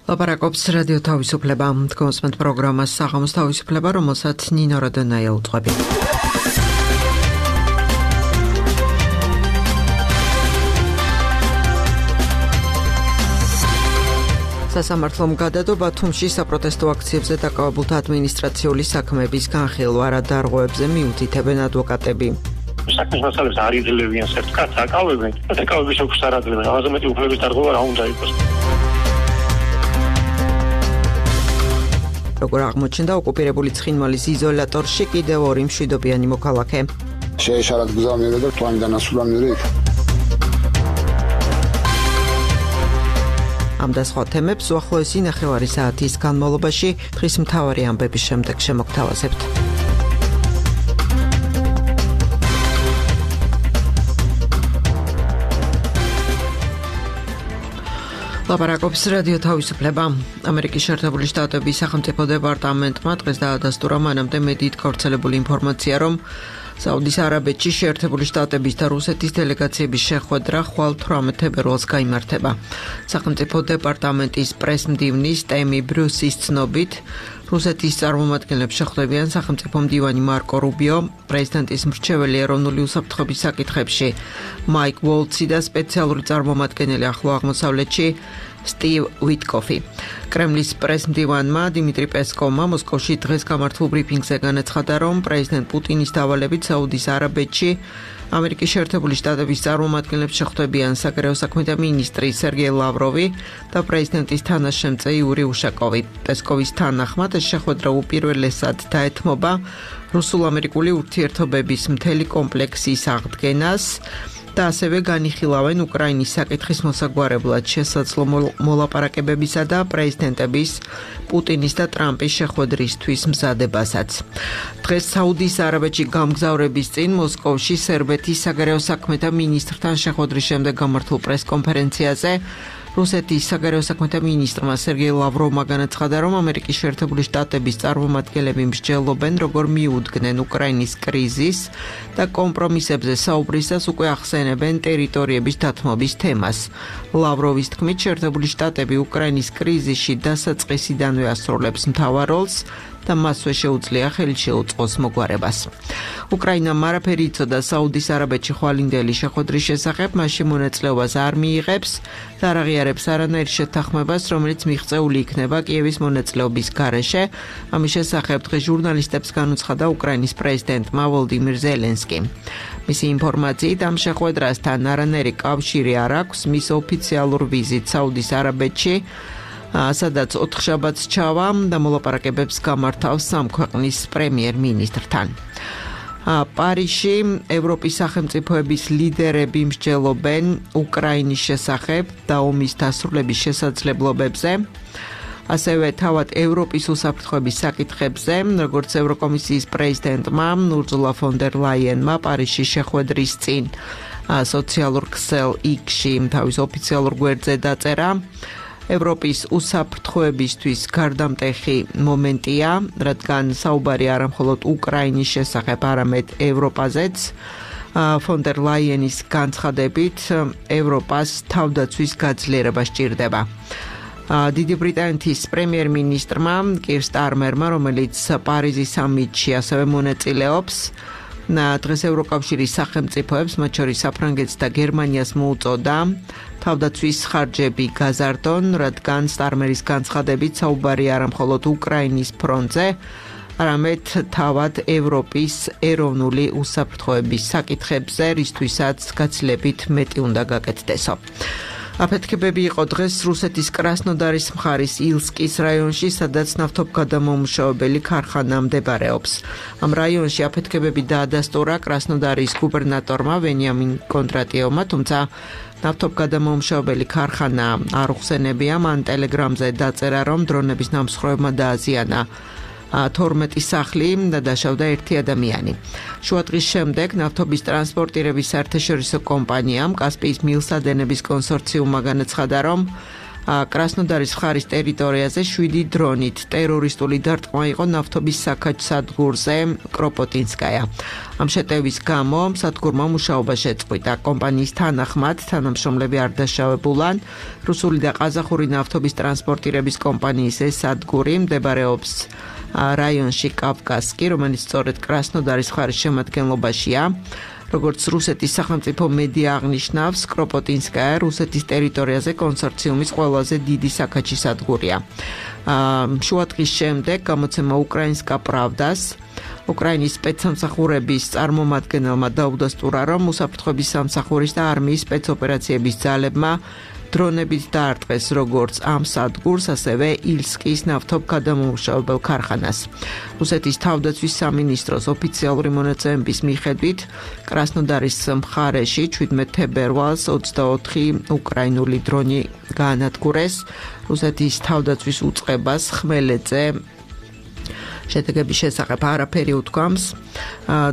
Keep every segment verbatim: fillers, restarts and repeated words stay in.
ლაპარაკობს რადიო თავისუფლება, თქვენს პროგრამას საღამოს თავისუფლება, რომელსაც ნინო როდონაია უძღვები. სასამართლომ გადადო ბათუმში საპროტესტო აქციებზე დაკავებულთა ადმინისტრაციული საქმეების განხილვა, რა დარღვევებზე მიუთითებენ ადვოკატები. საქმის მასალებს არ იძლევიან სერტიკატს აკავებენ და დაკავების ოქროს არ აძლევენ. ამაზე მეტი უფლების დარღვევა რა უნდა იყოს. როგორ აღმოჩნდა ოკუპირებული ცხინვალის იზოლატორში კიდევ ორი მშვიდობიანი მოქალაქე. შეეშალათ გზა მივიდა და თვალიდან ასულა მივიდა იქ. ამ და სხვა თემებს უახლოესი ნახევარი საათის განმავლობაში დღის მთავარი ამბების შემდეგ შემოგთავაზებთ. ლაპარაკობს რადიო თავისუფლება. ამერიკის შეერთებული შტატების სახელმწიფო დეპარტამენტმა დღეს დაადასტურა მანამდე მედიით გავრცელებული ინფორმაცია, რომ საუდის არაბეთში შეერთებული შტატების და რუსეთის დელეგაციების შეხვედრა ხვალ თვრამეტ თებერვალს გაიმართება. სახელმწიფო დეპარტამენტის პრესმდივნის ტემი ბრუსის ცნობით, რუსეთის წარმომადგენლებს შეხვდებიან სახელმწიფო მდივანი მარკო რუბიო, პრეზიდენტის მრჩეველი ეროვნული უსაფრთხოების საკითხებში მაიკ ვოლცი და სპეციალური წარმომადგენელი ახლო აღმოსავლეთში სტივ ვიტკოფი. კრემლის პრესმდივანმა დიმიტრი პესკოვმა მოსკოვში დღეს გამართულ ბრიფინგზე განაცხადა, რომ პრეზიდენტ პუტინის დავალებით საუდის არაბეთში ამერიკის შეერთებული შტატების წარმომადგენლებს შეხვდებიან საგარეო საქმეთა მინისტრი სერგეი ლავროვი და პრეზიდენტის თანაშემწე იური უშაკოვი. პესკოვის თანახმად ეს შეხვედრა უპირველესად დაეთმობა რუსულ-ამერიკული ურთიერთობების მთელი კომპლექსის აღდგენას და ასევე განიხილავენ უკრაინის საკითხის მოსაგვარებლად შესაძლო მოლაპარაკებებისა და პრეზიდენტების პუტინის და ტრამპის შეხვედრისთვის მზადებასაც. დღეს საუდის არაბეთში გამგზავრების წინ მოსკოვში სერბეთის საგარეო საქმეთა მინისტრთან შეხვედრის შემდეგ გამართულ პრესკონფერენციაზე რუსეთის საგარეო საქმეთა მინისტრმა სერგეი ლავროვმა განაცხადა, რომ ამერიკის შეერთებული შტატების წარმომადგენლები მსჯელობენ, როგორ მიუდგნენ უკრაინის კრიზის და კომპრომისებზე საუბრისას უკვე ახსენებენ ტერიტორიების დათმობის თემას. ლავროვის თქმით, შეერთებული შტატები უკრაინის კრიზისში დასაწყისიდანვე ასრულებს მთავარ როლს და მასვე შეუძლია ხელი შეუწყოს მოგვარებას. უკრაინამ არაფერი იცოდა საუდის არაბეთში ხვალინდელი შეხვედრის შესახებ, მასში მონაწილეობას არ მიიღებს და არ აღიარებს არანაირ შეთანხმებას, რომელიც მიღწეული იქნება კიევის მონაწილეობის გარეშე. ამის შესახებ დღეს ჟურნალისტებს განუცხადა უკრაინის პრეზიდენტმა ვოლდიმირ ზელენსკიმ. მისი ინფორმაციით, ამ შეხვედრასთან არანაირი კავშირი არ აქვს მის ოფიციალურ ვიზიტს საუდის არაბეთში, სადაც ოთხშაბათს ჩავა და მოლაპარაკებებს გამართავს სამ ქვეყნის პრემიერ-მინისტრთან. პარიზში ევროპის სახელმწიფოების ლიდერები მსჯელობენ უკრაინის შესახებ და ომის დასრულების შესაძლებლობებზე, ასევე თავად ევროპის უსაფრთხოების საკითხებზე, როგორც ევროკომისიის პრეზიდენტმა ურზულა ფონ დერ ლაიენმა პარიზში შეხვედრის წინ სოციალურ ქსელ იქში თავის ოფიციალურ გვერდზე დაწერა. ევროპის უსაფრთხოებისთვის გარდამტეხი მომენტია, რადგან საუბარი არა მხოლოდ უკრაინის შესახებ, არამედ ევროპაზეც. ფონ დერ ლაიენის განცხადებით, ევროპას თავდაცვის გაძლიერება სჭირდება. დიდი ბრიტანეთის პრემიერ-მინისტრმა კირ სტარმერმა, რომელიც პარიზის სამიტში ასევე მონაწილეობს, დღეს ევროკავშირის სახელმწიფოებს, მათ შორის საფრანგეთს და გერმანიას მოუწოდა თავდაცვის ხარჯები გაზარდონ, რადგან სტარმერის განცხადებით საუბარი არა მხოლოდ უკრაინის ფრონტზე, არამედ თავად ევროპის ეროვნული უსაფრთხოების საკითხებზე, რისთვისაც გაცილებით მეტი უნდა გაკეთდესო. აფეთქებები იყო დღეს რუსეთის კრასნოდარის მხარის ილსკის რაიონში, სადაც ნავთობგადამამუშავებელი ქარხანა მდებარეობს. ამ რაიონში აფეთქებები დაადასტურა კრასნოდარის გუბერნატორმა ვენიამინ კონდრატიევმა, თუმცა ნავთობგადამამუშავებელი ქარხანა არ უხსენებია. მან ტელეგრამზე დაწერა, რომ დრონების ნამსხვრევებმა დააზიანა თორმეტი სახლი და დაშავდა ერთი ადამიანი. შუადღის შემდეგ ნავთობის ტრანსპორტირების საერთაშორისო კომპანიამ კასპიის მილსადენების კონსორციუმმა განაცხადა, რომ კრასნოდარის მხარის ტერიტორიაზე შვიდი დრონით ტერორისტული დარტყმა იყო ნავთობის საქაჩ სადგურზე კროპოტინსკაია. ამ შეტევის გამო სადგურმა მუშაობა შეწყვიტა. კომპანიის თანახმად თანამშრომლები არ დაშავებულან. რუსული და ყაზახური ნავთობის ტრანსპორტირების კომპანიის ეს სადგური მდებარეობს რაიონში კავკასკი, რომელიც სწორედ კრასნოდარის მხარის შემადგენლობაშია. როგორც რუსეთის სახელმწიფო მედია აღნიშნავს, კროპოტინსკაია რუსეთის ტერიტორიაზე კონსორციუმის ყველაზე დიდი საქაჩი სადგურია. შუადღის შემდეგ გამოცემა უკრაინსკა პრავდას უკრაინის სპეცსამსახურების წარმომადგენელმა დაუდასტურა, რომ უსაფრთხოების სამსახურის და არმიის სპეცოპერაციების ძალებმა დრონებით დაარტყეს როგორც ამ სადგურს, ასევე ილსკის ნავთობგადამამუშავებელ ქარხანას. რუსეთის თავდაცვის სამინისტროს ოფიციალური მონაცემების მიხედვით, კრასნოდარის მხარეში ჩვიდმეტ თებერვალს ოცდაოთხი უკრაინული დრონი გაანადგურეს. რუსეთის თავდაცვის უწყებას ხმელეთზე შედეგების შესახებ არაფერი უთქვამს.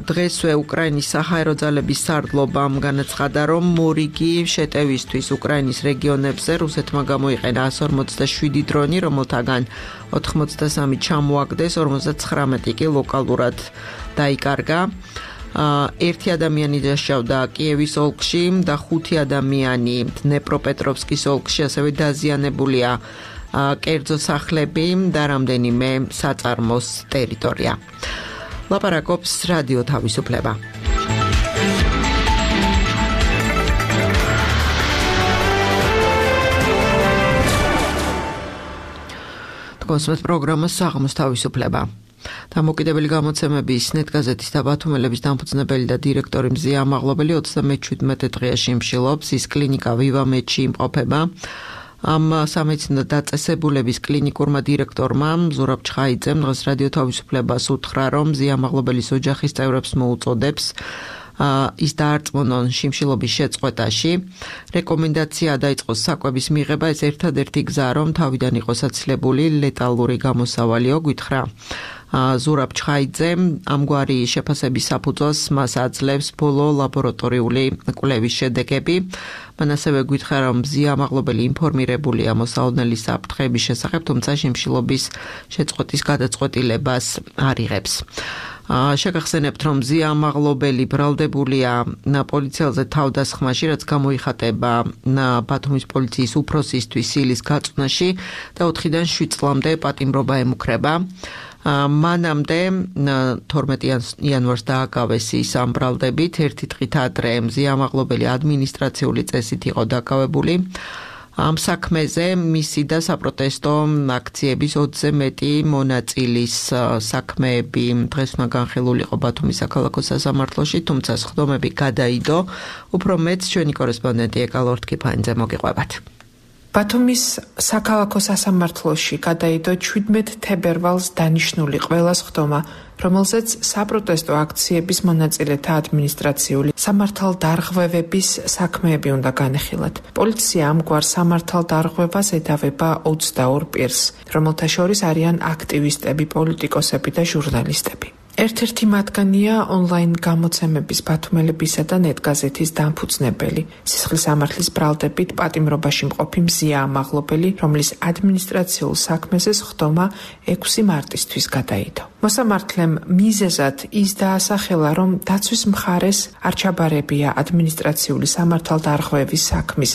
დღესვე უკრაინის საჰაერო ძალების სარდლობამ განაცხადა, რომ მორიგი შეტევისთვის უკრაინის რეგიონებზე რუსეთმა გამოიყენა εκατს ორმოცდაშვიდი დრონი, რომელთაგან ოთხმოცდასამი ჩამოაგდეს, ორმოცდაცხრამეტი კი ლოკალურად დაიკარგა. ერთი ადამიანი დაშავდა კიევის ოლქში და ხუთი ადამიანი დნეპროპეტროვსკის ოლქში, ასევე დაზიანებულია კერძო სახლები და რამდენიმე საწარმოს ტერიტორია. ლაპარაკობს რადიო თავისუფლება. კონსმეთ პროგრამა საღამოს თავისუფლება. დამოუკიდებელი გამოცემების ნეტგაზეთის და ბათუმელების დამფუძნებელი და დირექტორი მზია ამაღლობელი ოცდამეჩვიდმეტე დღეში მსჯელობს, ის კლინიკა ვივამედში იმყოფება. ამ სამედიცინო დაწესებულების კლინიკურმა დირექტორმა ზურაბ ჩხაიძემ დღეს რადიო თავისუფლებას უთხრა, რომ მზია ამაღლობელის ოჯახის წევრებს მოუწოდებს ის დაარწმუნონ შიმშილობის შეწყვეტაში. რეკომენდაცია დაიწყოს საკვების მიღება, ეს ერთადერთი გზა, რომ თავიდან იყოს აცილებული ლეტალური გამოსავალიო, გითხრა ზურაბ ჩხაიძემ. ამგვარი შეფასების საფუძველს მას აძლევს ბოლო ლაბორატორიული კვლევის შედეგები. მან ასევე გითხრა, რომ მზია ამაღლობელი ინფორმირებულია მოსალოდნელი საფრთხეების შესახებ, თუმცა შიმშილობის შეწყვეტის გადაწყვეტილებას არ იღებს. შეგახსენებთ, რომ მზია ამაღლობელი ბრალდებულია პოლიციელზე თავდასხმაში, რაც გამოიხატება ბათუმის პოლიციის უფროსისთვის სილის გაწვნაში და ოთხიდან შვიდ წლამდე პატიმრობა ემუქრება. მანამდე თორმეტი იანვარს დააკავეს ის ამ ბრალდებით, ერთი დღით ადრე მზია ამაღლობელი ადმინისტრაციული წესით იყო დაკავებული. ამ საქმეზე მისი და საპროტესტო აქციების ოცზე მეტი მონაწილის საქმეები დღეს უნდა განხილულიყო ბათუმის საქალაქო სასამართლოში, თუმცა სხდომები გადაიდო. უფრო მეტს ჩვენი კორესპონდენტი ეკალორ თქიფანიძე მოგიყვებათ. ბათუმის საქალაქო სასამართლოში გადაიდო ჩვიდმეტ თებერვალს დანიშნული ყველა სხდომა, რომელზეც საპროტესტო აქციების მონაწილეთა ადმინისტრაციული სამართალდარღვევების საქმეები უნდა განეხილათ. პოლიცია ამგვარ სამართალდარღვევას ედავება ოცდაორ პირს, რომელთა შორის არიან აქტივისტები, პოლიტიკოსები და ჟურნალისტები. ერთ-ერთი მათგანია ონლაინ გამოცემების ბათუმელებისა და ნეტგაზეთის დამფუძნებელი, სისხლის სამართლის ბრალდებით პატიმრობაში მყოფი მზია ამაღლობელი, რომლის ადმინისტრაციულ საქმეზე სხდომა ექვსი მარტისთვის გადაიდო. მოსამართლემ მიზეზად ის დაასახელა, რომ დაცვის მხარეს არ ჩაბარებია ადმინისტრაციული სამართალდარღვევის საქმის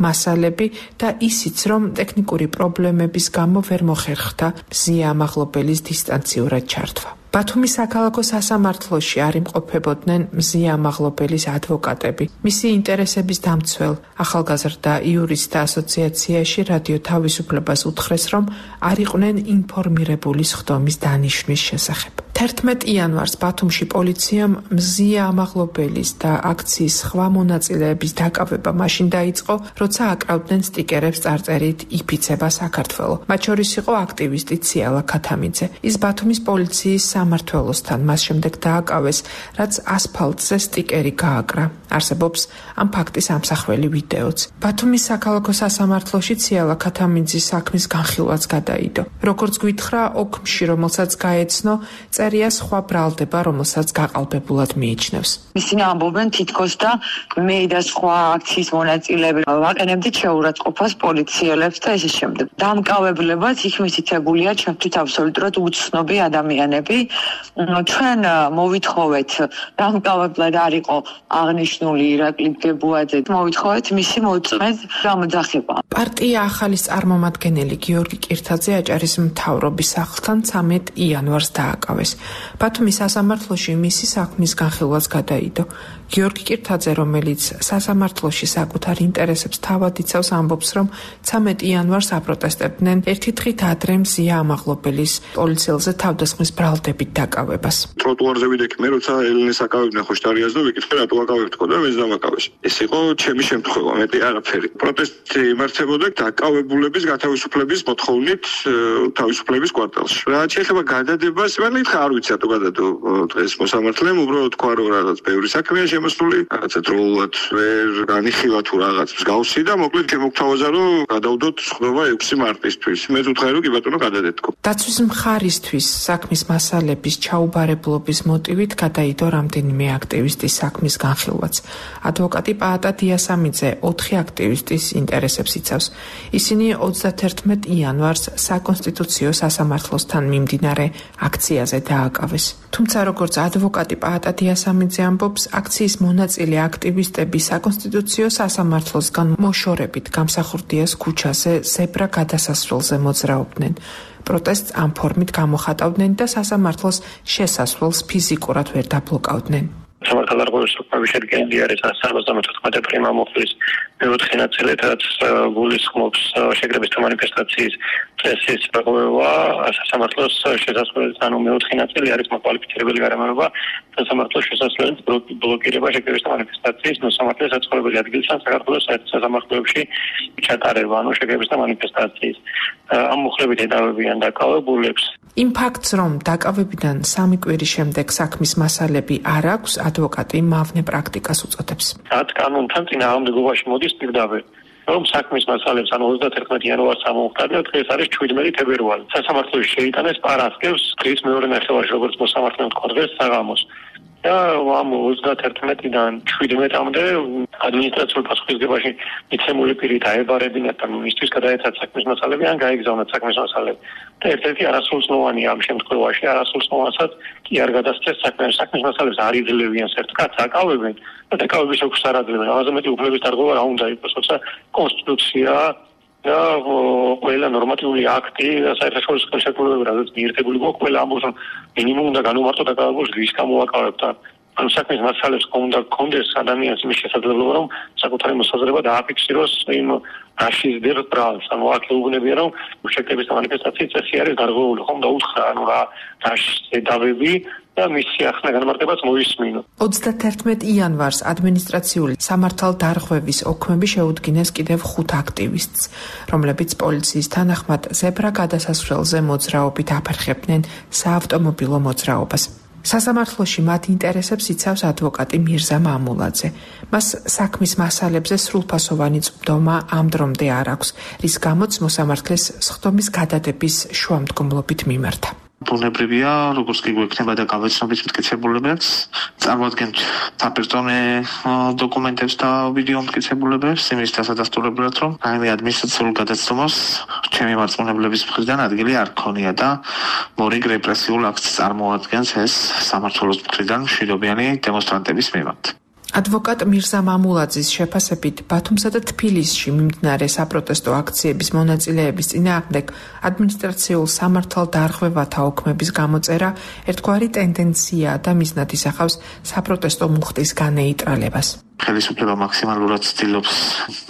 მასალები და ისიც, რომ ტექნიკური პრობლემების გამო ვერ მოხერხდა მზია ამაღლობელის დისტანციურად ჩართვა. ბათუმის საქალაქო სასამართლოში არ იმყოფებოდნენ მზია ამაღლობელის ადვოკატები. მისი ინტერესების დამცველ ახალგაზრდა იურისტთა ასოციაციაში რადიო თავისუფლებას უთხრეს, რომ არ იყვნენ ინფორმირებული სხდომის დანიშვნის შესახებ. თერთმეტ იანვარს ბათუმში პოლიციამ მზია ამაღლობელის და აქციის სხვა მონაწილეების დაკავება მაშინ დაიწყო, როცა აკრავდნენ სტიკერებს წარწერით იფიცება საქართველო. მათ შორის იყო აქტივისტი ციალა ქათამიძე. ის ბათუმის პოლიციის სამმართველოსთან, მას შემდეგ დააკავეს, რაც ასფალტზე სტიკერი გააკრა. არსებობს ამ ფაქტის ამსახველი ვიდეოც. ბათუმის საქალაქო სასამართლოში ციალა ქათამინძის საქმის განხილვაც გადაიდო. როგორც გვითხრა, ოქმში, რომელსაც გაეცნო, წერია სხვა ბრალდება, რომელსაც გაყალბებულად მიიჩნევს. ისინი ამბობენ თითქოს და მე და სხვა აქციის მონაწილეები ვაყენებდით შეურაცხყოფას პოლიციელებს და ესე შემდეგ. დამკავებლებაც იქ მითითებულია ჩვენთვის აბსოლუტურად უცნობი ადამიანები. ჩვენ მოვითხოვეთ დამკავებლად არ იყო აღნიშნული ირაკლი გებუაძე. მოვითხოვეთ მისი მოწმედ გამოძახება. პარტია ახალის წარმომადგენელი გიორგი კირთაძე აჭარის მთავრობის სახლთან ცამეტ იანვარს დააკავეს. ბათუმის სასამართლოში მისი საქმის განხილვაც გადაიდო. გიორგი კირთაძე, რომელიც სასამართლოში საკუთარ ინტერესებს თავად იცავს, ამბობს, რომ ცამეტ იანვარს აპროტესტებდნენ ერთი დღით ადრე მზია ამაღლობელის პოლიციელზე თავდასხმის ბრალდებით დაკავებას. ტროტუარზე ვიდექი მე, როცა ელენეს აკავებდნენ ხოშტარიას და ვიკითხე რატო აკავებთქო და მეც დამაკავეს. ეს იყო ჩემი შემთხვევა, მეტი არაფერი. პროტესტი იმართებოდა დაკავებულების გათავისუფლების მოთხოვნით თავისუფლების კვარტალში. რაც შეიძლება გადადებას, მე ხარ არ ვიცი რატო გადადო დღეს მოსამართლემ, უბრალოდ თქვა რომ რაღაც ბევრი საქმეა შემოსული, რაღაცა დროულად ვერ განიხილა თუ რაღაც მსგავსი და მოკლედ შემოგთავაზა რომ გადავდოთ ხდობა ექვსი მარტისთვის. მე ვუთხარი რომ კი ბატონო გადადეთქო. დაცვის მხარისთვის საქმის მასალების ჩაუბარებლობის მოტივით გადაიდო რამდენიმე აქტივისტის საქმის განხილვაც. ადვოკატი პაატა დიასამიძე ოთხი აქტივისტის ინტერესებს იცავს. ისინი ოცდაათერთმეტ იანვარს საკონსტიტუციო სასამართლოსთან მიმდინარე აქციაზე დააკავეს. თუმცა როგორც ადვოკატი პაატა დიასამიძე ამბობს, აქციის მონაწილე აქტივისტები საკონსტიტუციო სასამართლოსგან მოშორებით გამსახურდიას ქუჩაზე ზებრა გადასასვლელზე მოძრაობდნენ. პროტესტს ამ ფორმით გამოხატავდნენ და სასამართლოს შესასვლელს ფიზიკურად ვერ დაბლოკავდნენ. სამართალდარღვევის საკუთარი შედგენილი არის სამოცდამოთხმეტე პრიმა მოხლის მეოთხე ნაწილით, რაც გულისხმობს შეკრების თუ მანიფესტაციის წესის პრობლემა, სასამართლოს შესასვლელის ანუ მეოთხე ნაწილი არის მოკვალიფიცირებელი გარემოება სასამართლოს შესასვლელის ბლოკირება შეკრების თუ მანიფესტაციის მოსამართლეს საცხოვრებელი ადგილიდან საქართველოს სასამართლოებში ჩატარება, ანუ შეკრების თუ მანიფესტაციის. ამ მუხლებით ედავებიან დაკავებულებს. იმ ფაქტს, რომ დაკავებიდან სამი კვირის შემდეგ საქმის მასალები არ აქვს, ადვოკატი მავნე პრაქტიკას უწოდებს. რაც კანონთან წინააღმდეგობაში მოდის პირდაპირ, რომ საქმის მასალებს ანუ ოცდაათერთმეტ იანვარს ამოვხდა და დღეს არის შვიდმეტი თებერვალი. სასამართლოში შეიტანეს პარასკევს დღის მეორე ნახევარში, როგორც მოსამართლემ თქვა დღეს საღამოს. და ამ ოცდაათერთმეტიდან შვიდმეტამდე ადმინისტრაციულ პასუხისმგებაში მიცემული პირი დაებარებინათ და მისთვის გადაეცათ საქმის მასალები ან გაეგზავნათ საქმის მასალები. და ერთ-ერთი არასრულწლოვანია ამ შემთხვევაში, არასრულწლოვანსაც კი არ გადასცეს საქმის საქმის მასალებს არ იძლევიან სერტიკატს აკავებენ და დაკავების ოქს არ აძლევენ. ამაზე მეტი უფლების დარღვევა რა უნდა იყოს, როცა კონსტიტუცია და ყველა ნორმატიული აქტი და საერთაშორისო ხელშეკრულებები, რაც მიერთებული გვაქვს, ყველა ამბობს, რომ მინიმუმ უნდა განუმარტო დაკავებულს რის გამოვაკავებთ. ანუ საქმის მასალებს უნდა გქონდეს ადამიანს იმის შესაძლებლობა, რომ საკუთარი მოსაზრება დააფიქსიროს იმ რაშიზდერ ბრალს. ანუ აქ ეუბნებია, რომ შეკრების მანიფესტაციის წესი არის გარღვეული, ხომ და უთხრა, ანუ რა დაშედავები და მისი ახლა განმარტებაც მოისმინო. ოცდაათერთმეტ იანვარს ადმინისტრაციული სამართალდარღვევის ოქმები შეუდგინეს კიდევ ხუთ აქტივისტს, რომლებიც პოლიციის თანახმად ზებრა გადასასვლელზე მოძრაობით აფერხებდნენ საავტომობილო მოძრაობას. სასამართლოში მათ ინტერესებს იცავს ადვოკატი მირზა მამულაძე. მას საქმის მასალებზე სრულფასოვანი წვდომა ამ დრომდე არ აქვს, რის გამოც მოსამართლეს სხდომის გადადების შუამდგომლობით მიმართა. ბუნებრივია, როგორც კი გვექნება და გავეცნობით მტკიცებულებებს, წარმოადგენთ საპერსონე დოკუმენტებს და ვიდეო მტკიცებულებებს, იმის დასადასტურებლად, რომ რაიმე ადმინისტრაციულ გადაცდომას ჩემი მარწმუნებლების მხრიდან ადგილი არ ქონია და მორიგ რეპრესიულ აქტს წარმოადგენს ეს სამართლოს მხრიდან მშვიდობიანი დემონსტრანტების მიმართ. ადვოკატ მირზა მამულაძის შეფასებით, ბათუმსა და თბილისში მიმდინარე საპროტესტო აქციების მონაწილეების წინააღმდეგ ადმინისტრაციულ სამართალდარღვევათა ოქმების გამოწერა ერთგვარი ტენდენციაა და მიზნად ისახავს საპროტესტო მუხტის განეიტრალებას. ხელისუფლება მაქსიმალურად ცდილობს,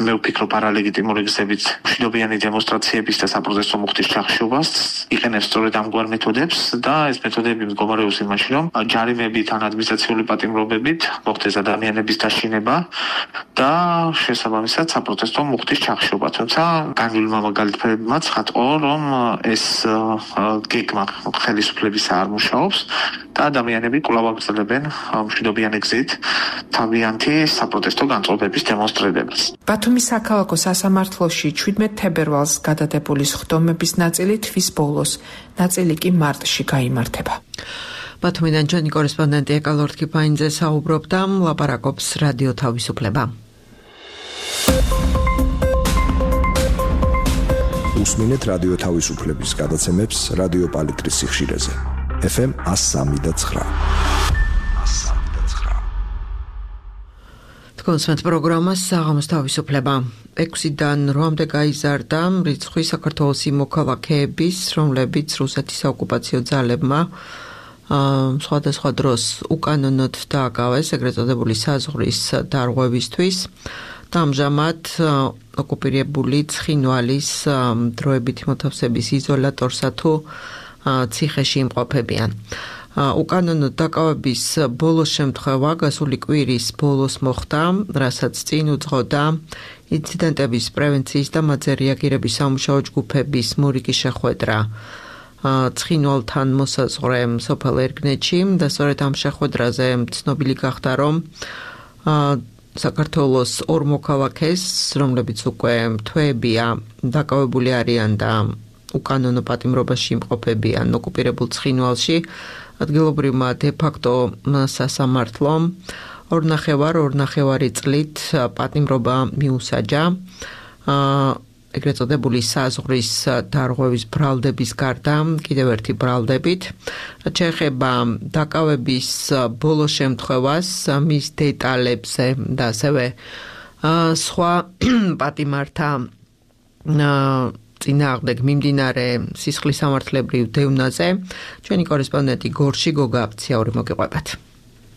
მე ვფიქრობ, არალეგიტიმური გზებით მშვიდობიანი დემონსტრაციების და საპროტესტო მუხტის ჩახშობას, იყენებს სწორედ ამგვარ მეთოდებს და ეს მეთოდები მდგომარეობს იმაში, რომ ჯარიმებით ან ადმინისტრაციული პატიმრობებით მოხდეს ადამიანების დაშინება და შესაბამისად საპროტესტო მუხტის ჩახშობა. თუმცა განვლილმა მაგალითებმა ცხადყო, რომ ეს გეგმა ხელისუფლების არ მუშაობს და ადამიანები კვლავ აგრძელებენ მშვიდობიანი გზით თავიანთი საპროტესტო განწყობების დემონსტრირებას. ბათუმის საქალაქო სასამართლოში შვიდმეტ თებერვალს გადადებული სხდომების ნაწილი თვის ბოლოს, ნაწილი კი მარტში გაიმართება. ბათუმიდან ჩვენი კორესპონდენტი ეკალორთ კიფაინძე საუბრობდა, ლაპარაკობს რადიო თავისუფლება. უსმინეთ რადიო თავისუფლების გადაცემებს რადიო პალიტრის სიხშირეზე. ეფ ემ one oh three point nine. კონსვენთ პროგრამას საღამოს თავისუფლება. ექვსიდან რვამდე გაიზარდა რიცხვი საქართველოს იმ მოქალაქეების, რომლებიც რუსეთის საოკუპაციო ძალებმა სხვადასხვა დროს უკანონოდ დააკავეს ეგრეთ წოდებული საზღვრის დარღვევისთვის. და ამჟამად ოკუპირებული ცხინვალის დროებითი მოთავსების იზოლატორსა თუ ციხეში იმყოფებიან. უკანონოდ დაკავების ბოლო შემთხვევა გასული კვირის ბოლოს მოხდა, რასაც წინ უძღოდა ინციდენტების პრევენციის და მათზე რეაგირების სამუშაო ჯგუფების მურიკი შეხვედრა ცხინვალთან მოსაზღვრე სოფელ ერგნეთში და სწორედ ამ შეხვედრაზე ცნობილი გახდა, რომ საქართველოს ორ მოქალაქეს, რომლებიც უკვე თვეებია დაკავებული არიან და უკანონო პატიმრობაში იმყოფებიან ოკუპირებულ ცხინვალში, ადგილობრივმა დე-ფაქტო სასამართლომ ორნახევარ ორნახევარი წლით პატიმრობა მიუსაჯა. ეგრეთ წოდებული საზღვრის დარღვევის ბრალდების გარდა კიდევ ერთი ბრალდებით, რაც შეეხება დაკავების ბოლო შემთხვევას, მის დეტალებზე და ასევე სხვა პატიმართა წინააღმდეგ მიმდინარე სისხლის სამართლებრივ დევნაზე ჩვენი კორესპონდენტი გორში გოგა აფციაური მოგიყვებათ.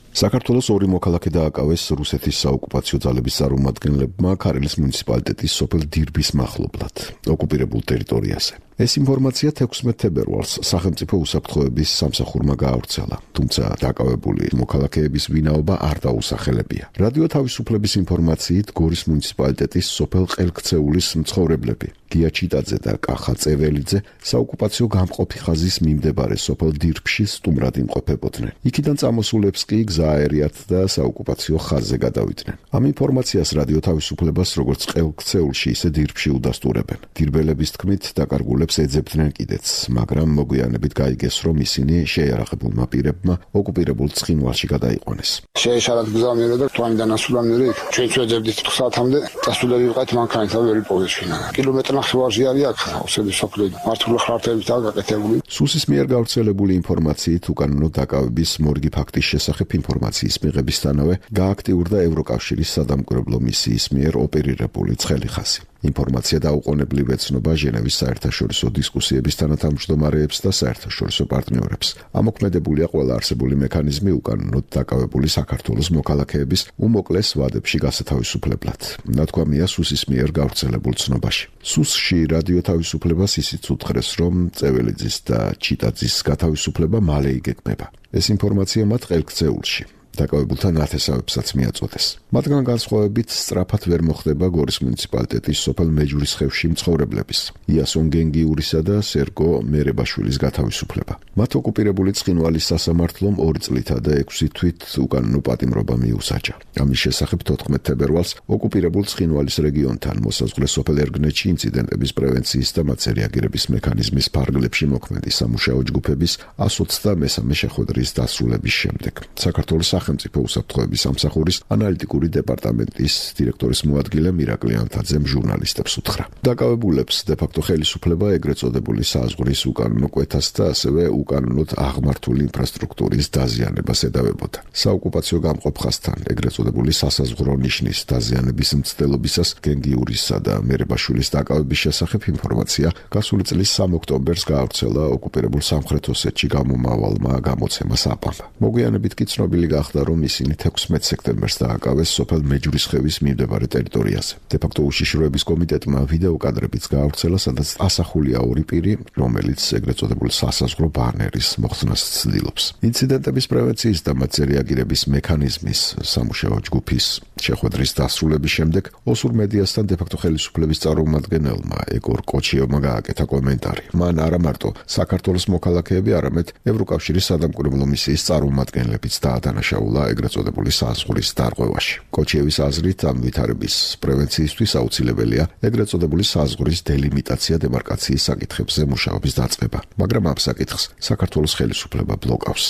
საქართველოს ორი მოქალაქე დააკავეს რუსეთის საოკუპაციო ძალების წარმომადგენლებმა ქარელის მუნიციპალიტეტის სოფელ დირბის მახლობლად, ოკუპირებულ ტერიტორიაზე. ეს ინფორმაცია ექვსმეტ თებერვალს სახელმწიფო უსაფრთხოების სამსახურმა გაავრცელა, თუმცა დაკავებული მოქალაქეების ვინაობა არ დაუსახელებია. რადიო თავისუფლების ინფორმაციით გორის მუნიციპალიტეტის სოფელ ყელქცეულის მცხოვრებლები გია ჩიტაძე და კახა წეველიძე საოკუპაციო გამყოფი ხაზის მიმდებარე სოფელ დირბში სტუმრად იმყოფებოდნენ. იქიდან წამოსულებს კი გზა აერიათ და საოკუპაციო ხაზზე გადავიდნენ. ამ ინფორმაციას რადიო თავისუფლებას როგორც ყელქცეულში, ისე დირბში უდასტურებენ. დირბელების თქმით, დაკარგულებს ეძებდნენ კიდეც, მაგრამ მოგვიანებით გაიგეს, რომ ისინი შეიარაღებულმა პირებმა ოკუპირებულ ცხინვალში გადაიყვანეს. შეეშალათ გზავნერა და თვამიდან ასულამდე ჩვენც ვეძებდით საათამდე დასულები ვიყავით მანქანით და ვერ იპოვეჩვენა. კილომეტრი ნახევარში არის აქ ოსები სოფლი მართული ხართებით გაკეთებული. სუსის მიერ გავრცელებული ინფორმაციით უკანონო დაკავების მორგი ფაქტის შესახებ ინფორმაციის მიღებისთანავე გააქტიურდა ევროკავშირის სადამკვირვებლო მისიის მიერ ოპერირებული ცხელი ხაზი. ინფორმაცია დაუყოვნებლივ ეცნობა ჟენევის საერთაშორისო დისკუსიების თანათავმჯდომარეებს და საერთაშორისო პარტნიორებს. ამოქმედებულია ყველა არსებული მექანიზმი უკანონოდ დაკავებული საქართველოს მოქალაქეების უმოკლეს ვადებში გასათავისუფლებლად. ნათქვამია სუსის მიერ გავრცელებულ ცნობაში. სუსში რადიო თავისუფლებას ისიც უთხრეს, რომ წეველიძის და ჩიტაძის გათავისუფლება მალე იგეგმება. ეს ინფორმაცია მათ ყელქცეულში დაკავებულთა ნათესავებსაც მიაწოდეს. მათგან განსხვავებით სწრაფად ვერ მოხდება გორის მუნიციპალიტეტის სოფელ მეჯურისხევში მცხოვრებლების იასონ გენგიურისა და სერგო მერებაშვილის გათავისუფლება. მათ ოკუპირებული ცხინვალის სასამართლომ ორი წლითა და ექვსი თვით უკანონო პატიმრობა მიუსაჯა. ამის შესახებ თოთხმეტ თებერვალს ოკუპირებულ ცხინვალის რეგიონთან მოსაზღვრე სოფელ ერგნეთში ინციდენტების პრევენციის და მათზე რეაგირების მექანიზმის ფარგლებში მოქმედი სამუშაო ჯგუფების one hundred twenty-three შეხვედრის დასრულების შემდეგ საქართველოს სახელმწიფო უსაფრთხოების სამსახურის ანალიტიკური დეპარტამენტის დირექტორის მოადგილე მირაკლი ანთაძემ ჟურნალისტებს უთხრა. დაკავებულებს დე-ფაქტო ხელისუფლება ეგრეთ წოდებული საზღვრის უკანონო კვეთას და ასევე უკანონოდ აღმართული ინფრასტრუქტურის დაზიანებას ედავებოდა. საოკუპაციო გამყოფ ხაზთან ეგრეთ წოდებული სასაზღვრო ნიშნის დაზიანების მცდელობისას გენგიურისა და მერებაშვილის დაკავების შესახებ ინფორმაცია გასული წლის სამი ოქტომბერს გაავრცელა ოკუპირებულ სამხრეთ ოსეთში გამომავალმა გამოცემა საპამ. მოგვიანებით კი ცნობილი გახდა, გახდა, რომ ისინი თექვსმეტ სექტემბერს დააკავეს სოფელ მეჯვრისხევის მიმდებარე ტერიტორიაზე. დე-ფაქტო უშიშროების კომიტეტმა ვიდეო კადრებიც გაავრცელა, სადაც ასახულია ორი პირი, რომელიც ეგრეთ წოდებული სასაზღვრო ბანერის მოხსნას ცდილობს. ინციდენტების პრევენციის და მათზე რეაგირების მექანიზმის სამუშაო ჯგუფის შეხვედრის დასრულების შემდეგ ოსურ მედიასთან დე-ფაქტო ხელისუფლების წარმომადგენელმა ეგორ კოჩიოვმა გააკეთა კომენტარი. მან არა მარტო საქართველოს მოქალაქეები, არამედ ევროკავშირის სადამკვირვებლო მისიის წარმომადგენლებიც დაადანაშაულა ეგრეთ წოდებული საზღვრის დარღვევაში. კოჩიევის აზრით, ამ ვითარების პრევენციისთვის აუცილებელია ეგრეთ წოდებული საზღვრის დელიმიტაცია დემარკაციის საკითხებზე მუშაობის დაწყება, მაგრამ ამ საკითხს საქართველოს ხელისუფლება ბლოკავს.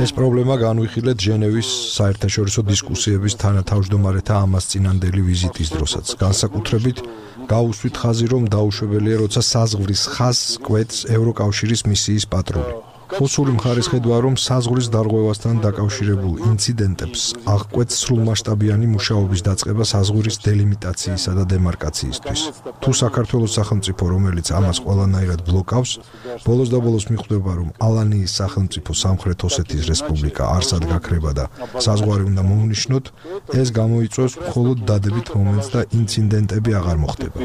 ეს პრობლემა განვიხილეთ ჟენევის საერთაშორისო დისკუსიების თანათავმჯდომარეთა ამასწინანდელი ვიზიტის დროსაც. განსაკუთრებით გაუსვით ხაზი, რომ დაუშვებელია, როცა საზღვრის ხაზს კვეთს ევროკავშირის მისიის პატრული. ოსური მხარის ხედვა, რომ საზღვრის დარღვევასთან დაკავშირებულ ინციდენტებს აღკვეთს სრულმასშტაბიანი მუშაობის დაწყება საზღვრის დელიმიტაციისა და დემარკაციისთვის. თუ საქართველოს სახელმწიფო, რომელიც ამას ყველანაირად ბლოკავს, ბოლოს და ბოლოს მიხვდება, რომ ალანიის სახელმწიფო სამხრეთ ოსეთის რესპუბლიკა არსად გაქრება და საზღვარი უნდა მოუნიშნოთ, ეს გამოიწვევს მხოლოდ დადებით მომენტს და ინციდენტები აღარ მოხდება.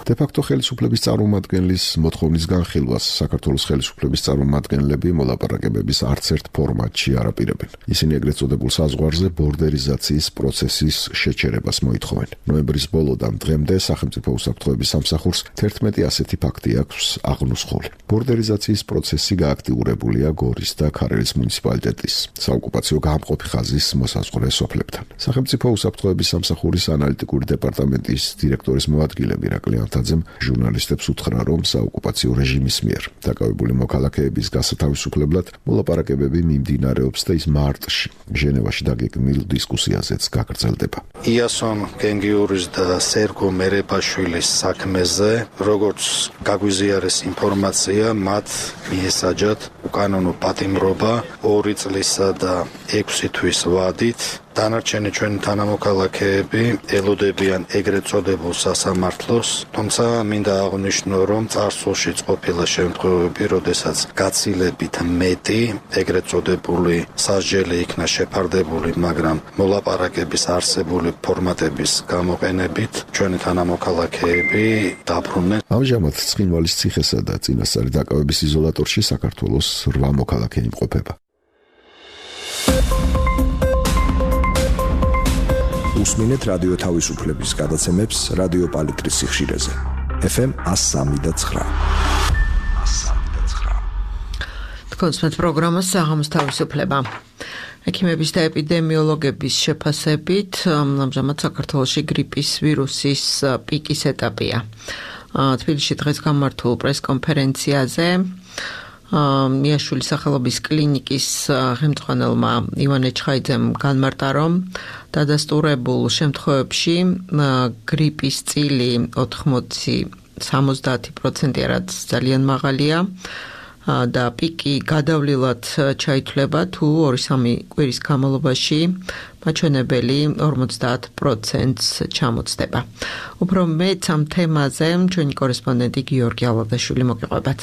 დე-ფაქტო ხელისუფლების წარმომადგენლის მოთხოვნის განხილვას საქართველოს ხელისუფლების წარმომადგენლები მოლაპარაკებების არც ერთ ფორმატში არ აპირებენ. ისინი ეგრეთ წოდებულ საზღვარზე ბორდერიზაციის პროცესის შეჩერებას მოითხოვენ. ნოემბრის ბოლოდან დღემდე სახელმწიფო უსაფრთხოების სამსახურს თერთმეტი ასეთი ფაქტი აქვს აღნუსხული. ბორდერიზაციის პროცესი გააქტიურებულია გორის და ქარელის მუნიციპალიტეტის საოკუპაციო გამყოფი ხაზის მოსაზღვრე სოფლებთან. სახელმწიფო უსაფრთხოების სამსახურის ანალიტიკური დეპარტამენტის დირექტორის მოადგილე მირაკლი ანთაძემ ჟურნალისტებს უთხრა, რომ საოკუპაციო რეჟიმის მიერ დაკავებული მოქალაქეების გასათავისუფლებლად მოლაპარაკებები მიმდინარეობს და ის მარტში ჟენევაში დაგეგმილ დისკუსიაზეც გაგრძელდება. იასონ გენგიურის და სერგო მერეპაშვილის საქმეზე, როგორც გაგვიზიარეს ინფორმაცია, მათ მიესაჯათ უკანონო პატიმრობა ორი წლისა და ექვსი თვის ვადით. დანარჩენი ჩვენი თანამოქალაქეები ელოდებიან ეგრეთ წოდებულ სასამართლოს, თუმცა მინდა აღვნიშნო, რომ წარსულშიც ყოფილა შემთხვევები, როდესაც გაცილებით მეტი ეგრეთ წოდებული სასჯელი იქნა შეფარდებული, მაგრამ მოლაპარაკების არსებული ფორმატების გამოყენებით ჩვენი თანამოქალაქეები დაბრუნდნენ. ამჟამად ცხინვალის ციხესა და წინასწარი დაკავების იზოლატორში საქართველოს რვა მოქალაქე იმყოფება. უსმინეთ რადიო თავისუფლების გადაცემებს რადიო პალიტრის სიხშირეზე. ეფ ემ one oh three point nine. თქვენს პროგრამას საღამოს თავისუფლება. ექიმების და ეპიდემიოლოგების შეფასებით, ამჟამად საქართველოში გრიპის ვირუსის პიკის ეტაპია. თბილისში დღეს გამართულ პრესკონფერენციაზე მიაშვილის სახელობის კლინიკის ხელმძღვანელმა ივანე ჩხაიძემ განმარტა, რომ დადასტურებულ შემთხვევებში გრიპის წილი ოთხმოცი სამოცდაათი პროცენტია, რაც ძალიან მაღალია და პიკი გადავლილად ჩაითვლება, თუ ორი-სამი კვირის განმავლობაში მაჩვენებელი ორმოცდაათ პროცენტს ჩამოცდება. უფრო მეც ამ თემაზე ჩვენი კორესპონდენტი გიორგი ალადაშვილი მოგიყვებათ.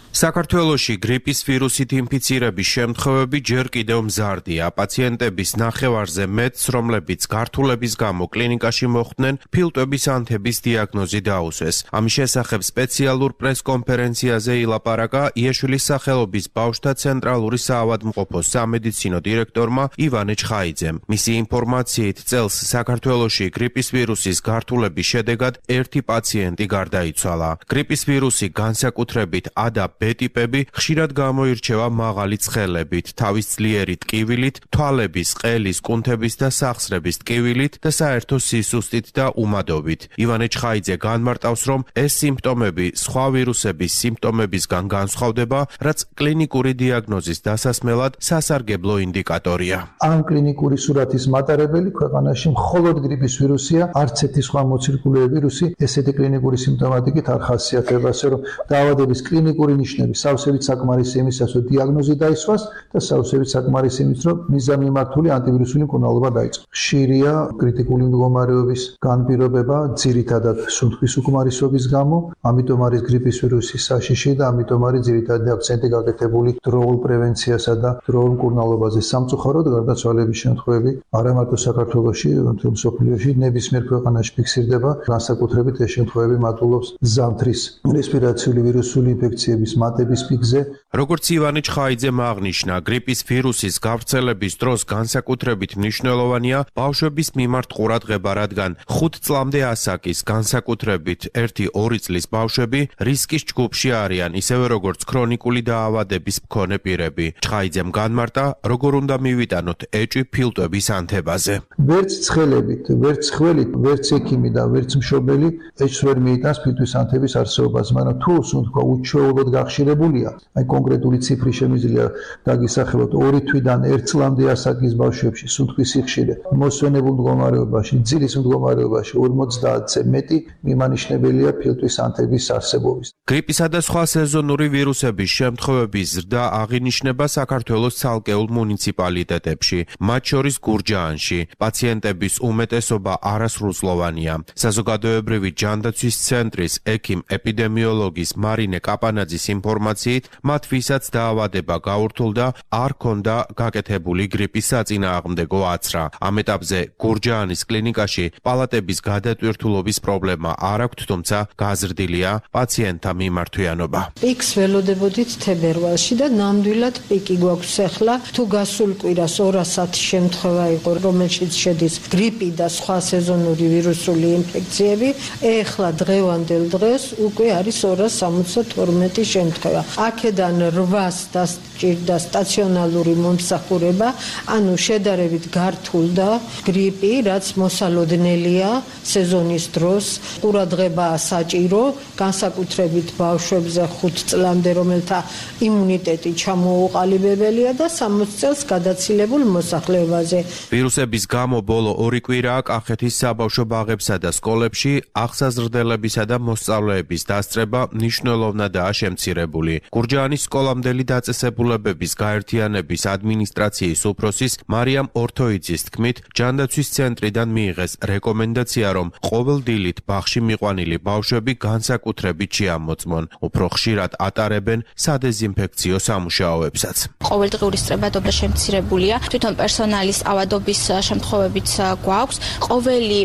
საქართველოში გრიპის ვირუსით ინფიცირების შემთხვევები ჯერ კიდევ მზარდია. პაციენტების ნახევარზე მეტს, რომლებიც გართულების გამო კლინიკაში მოხვდნენ, ფილტვების ანთების დიაგნოზი დაუსვეს. ამის შესახებ სპეციალურ პრესკონფერენციაზე ილაპარაკა იაშვილის სახელობის ბავშვთა ცენტრალური საავადმყოფოს სამედიცინო დირექტორმა ივანე ჩხაიძემ. მისი ინფორმაციით, წელს საქართველოში გრიპის ვირუსის გართულების შედეგად ერთი პაციენტი გარდაიცვალა. გრიპის ვირუსი განსაკუთრებით A და B ტიპები ხშირად გამოირჩევა მაღალი ცხელებით, თავის ძლიერი ტკივილით, თვალების, ყელის, კუნთების და სახსრების ტკივილით და საერთო სისუსტით და უმადობით. ივანე ჩხაიძე განმარტავს, რომ ეს სიმპტომები სხვა ვირუსების სიმპტომებისგან განსხვავდება, რაც კლინიკური დიაგნოზის დასასმელად სასარგებლო ინდიკატორია. ამ კლინიკური სურათის მატარებელი ქვეყანაში მხოლოდ გრიპის ვირუსია, არც ერთი სხვა მოცირკულე ვირუსი ესეთი კლინიკური სიმპტომატიკით არ ხასიათდება, ასე რომ დაავადების კლინიკური ნიშნები სავსებით საკმარისი იმისას, რომ დიაგნოზი დაისვას და სავსებით საკმარისი იმის, რომ მიზანმიმართული ანტივირუსული მკურნალობა დაიწყოს. ხშირია კრიტიკული მდგომარეობის განპირობება, ძირითადად სუნთქვის უკმარისობის გამო, ამიტომ არის გრიპის ვირუსის საშიში და ამიტომ არის ძირითადი აქცენტი გაკეთებული დროულ პრევენციასა და დროულ მკურნალობაზე. სამწუხაროდ გარდაცვალების შემთხვევები არა მარტო საქართველოში, მთელ მსოფლიოში ნებისმიერ ქვეყანაში ფიქსირდება, განსაკუთრებით ეს შემთხვევები მატულობს ზამთრის რესპირაციული ვირუსული ინფექციების მატების პიკზე. როგორც ივანე ჩხაიძემ აღნიშნა, გრიპის ვირუსის გავრცელების დროს განსაკუთრებით მნიშვნელოვანია ბავშვების მიმართ ყურადღება, რადგან ხუთ წლამდე ასაკის განსაკუთრებით ერთი ორი წლის ბავშვები რისკის ჯგუფში არიან, ისევე როგორც ქრონიკული დაავადების მქონე პირები. ჩხაიძემ განმარტა, როგორ უნდა მივიტანოთ ეჭვი ფილტვების ანთებაზე. ვერც ცხელებით, ვერც ხველით, ვერც ექიმი და ვერც მშობელი ეჭვს ვერ მიიტანს ფილტვის ანთების არსებობას, მაგრამ თუ სუნთქვა უჩვეულოდ გახშირებულია, აი კონკრეტული ციფრი შემიძლია დაგისახელოთ ორი თვიდან ერთ წლამდე ასაკის ბავშვებში სუნთქვის სიხშირე მოსვენებულ მდგომარეობაში, ძილის მდგომარეობაში ორმოცდაათზე მეტი მიმანიშნებელია ფილტვის ანთების არსებობის. გრიპისა და სხვა სეზონური ვირუსების შემთხვევების ზრდა აღინიშნება საქართველოს ცალკეულ მუნიციპალიტეტებში, მათ შორის გურჯაანში. პაციენტების უმეტესობა არასრულწლოვანია. საზოგადოებრივი ჯანდაცვის ცენტრის ექიმ-ეპიდემიოლოგის მარინე კაპანაძის ინფორმაციით, მათ ვისაც დაავადება გაურთულდა, არ ქონდა გაკეთებული გრიპის საწინააღმდეგო აცრა. ამ ეტაპზე გურჯაანის კლინიკაში პალატების გადატვირთულობის პრობლემა არ აქვთ, თუმცა გაზრდილია პაციენტთა მიმართვიანობა. პიკს ველოდებოდით თებერვალში და ნამდვილად პიკი გვაქვს ახლა. თუ გასულ კვირას ორასად შემთხვევა იყო, რომელშიც შედის გრიპი და სხვა სეზონური ვირუსული ინფექციები, ეხლა დღევანდელ დღეს უკვე არის ორას სამოცდათორმეტი შემთხვევა. აქედან რვას დასჭირდა სტაციონალური მომსახურება, ანუ შედარებით გართულდა გრიპი, რაც მოსალოდნელია სეზონის დროს. ყურადღებაა საჭირო, განსაკუთრებით ბავშვებზე ხუთ წლამდე, რომელთა იმუნიტეტი ჩამოუყალიბებელია და სამოცი წელს გადაცილებულ მოსახლეობაზე. ვირუსების გამო ბოლო ორი კვირაა კახეთის საბავშვო ბაღებსა და სკოლებში აღსაზრდელებისა და მოსწავლეების დასწრება მნიშვნელოვნადაა შემცირებული. გურჯაანის სკოლამდელი დაწესებულებების გაერთიანების ადმინისტრაციის უფროსის მარიამ ორთოიძის თქმით, ჯანდაცვის ცენტრიდან მიიღეს რეკომენდაცია, რომ ყოველ დილით ბაღში მიყვანილი ბავშვები განსაკუთრებით შეამოწმონ. უფრო ხშირად ატარებენ სადეზინფექციო სამუშაოებსაც. ყოველდღიური სწრებადობა შემცირებულია, თვითონ პერსონალის ავადობის შემთხვევებიც გვაქვს. ყოველი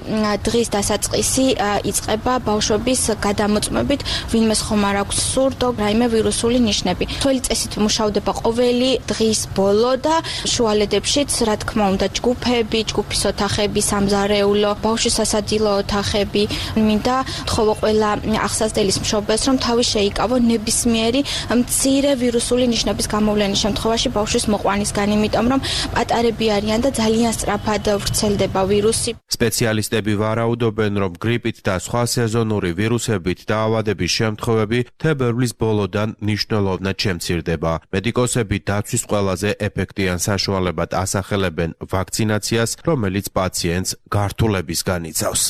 დღის დასაწყისი იწყება ბავშვების გადამოწმებით, ვინმეს ხომ არ აქვს სურდო, რაიმე ვირუსული ნიშნები. თველი წესით მუშავდება ყოველი დღის ბოლო და შუალედებშიც, რა თქმა უნდა, ჯგუფები, ჯგუფის ოთახები, სამზარეულო, ბავშვის სასადილო ოთახები. მინდა თხოვო ყველა აღსაზრდელის მშობელს, რომ თავი შეიკავო ნებისმიერი მცირე ვირუსული ნიშნების გამოვლენის შემთხვევაში ბავშვის მოყვანისგან, იმიტომ რომ პატარები არიან და ძალიან სწრაფად ვრცელდება ვირუსი. სპეციალისტები ვარაუდობენ, რომ გრიპით და სხვა სეზონური ვირუსებით დაავადების შემთხვევები თებერვლის ბოლოდან მნიშვნელოვნად შემცირდება. მედიკოსები დაცვის ყველაზე ეფექტიან საშუალებად ასახელებენ ვაქცინაციას, რომელიც პაციენტს გართულებისგან იცავს.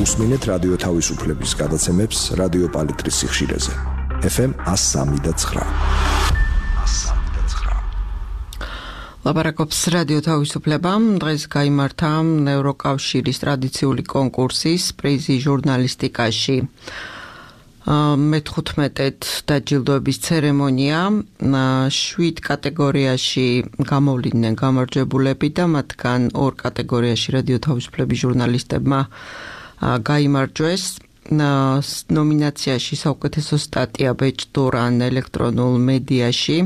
უსმინეთ რადიო თავისუფლების გადაცემებს რადიო პალიტრის სიხშირეზე. ეფ ემ εκατო სამი და ცხრა. ლაპარაკობს რადიო თავისუფლება. დღეს გაიმართა ევროკავშირის ტრადიციული კონკურსის პრიზი ჟურნალისტიკაში. მეთხუთმეტედ დაჯილდოების ცერემონია, შვიდ კატეგორიაში გამოვლიდნენ გამარჯვებულები და მათგან ორ კატეგორიაში რადიო თავისუფლების ჟურნალისტებმა გაიმარჯვეს. ნომინაციაში საუკეთესო სტატია ბეჭდურან ელექტრონულ მედიაში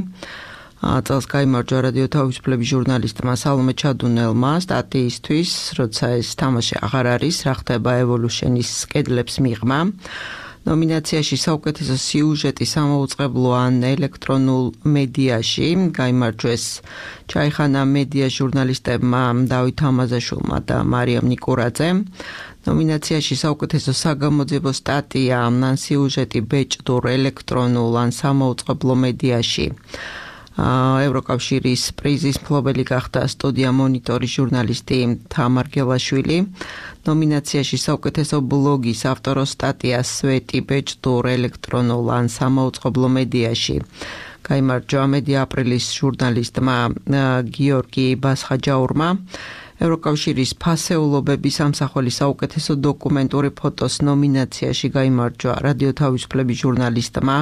წელს გაიმარჯვა რადიო თავისუფლების ჟურნალისტმა სალომე ჩადუნელმა სტატიისთვის, როცა ეს თამაში აღარ არის, რა ხდება ევოლუშენის კედლებს მიღმა. ნომინაციაში საუკეთესო სიუჟეტი სამაუწყებლო ან ელექტრონულ მედიაში გაიმარჯვეს ჩაიხანა მედია ჟურნალისტებმა დავით ამაზაშვილმა და მარიამ ნიკურაძემ. ნომინაციაში საუკეთესო საგამოძიებო სტატია ან სიუჟეტი ბეჭდურ ელექტრონულ ან სამაუწყებლო მედიაში ევროკავშირის პრიზის მფლობელი გახდა სტუდია მონიტორის ჟურნალისტი თამარ გელაშვილი. ნომინაციაში საუკეთესო ბლოგის ავტოროს სტატია სვეტი ბეჭდურ ელექტრონულ ან სამაუწყებლო მედიაში გაიმარჯვა მედია აპრილის ჟურნალისტმა გიორგი ბასხაჯაურმა. ევროკავშირის ფასეულობების სამსახურის საუკეთესო დოკუმენტური ფოტოს ნომინაციაში გაიმარჯვა რადიო თავისუფლების ჟურნალისტმა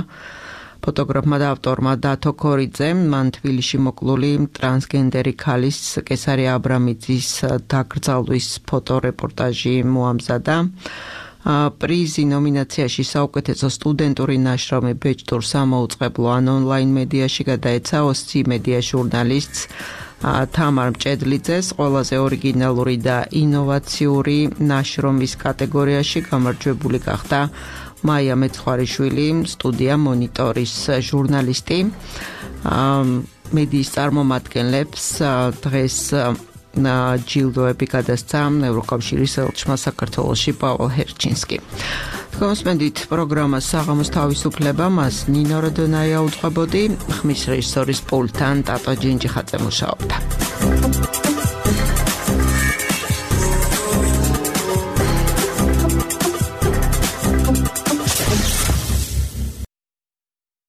ფოტოგრაფმა და ავტორმა დათო ქორიძემ. მან თბილისში მოკლული ტრანსგენდერი ქალის კესარი აბრამიძის დაკრძალვის ფოტორეპორტაჟი მოამზადა. პრიზი ნომინაციაში საუკეთესო სტუდენტური ნაშრომი ბეჭდურ სამაუწყებლო ან ონლაინ მედიაში გადაეცა ოსცი მედია ჟურნალისტს თამარ მჭედლიძეს. ყველაზე ორიგინალური და ინოვაციური ნაშრომის კატეგორიაში გამარჯვებული გახდა მაია მეცხვარიშვილი, სტუდია მონიტორის ჟურნალისტი. მედიის წარმომადგენლებს დღეს ჯილდოები გადასცა ევროკავშირის ელჩმა საქართველოში პაოლ ჰერჩინსკი. თქვენსმენდით პროგრამას საღამოს თავისუფლება, მას ნინო როდონაია უძღვებოდი, ხმის რეჟისორის პულტთან ტატო ჯინჯიხაძე მუშაობდა.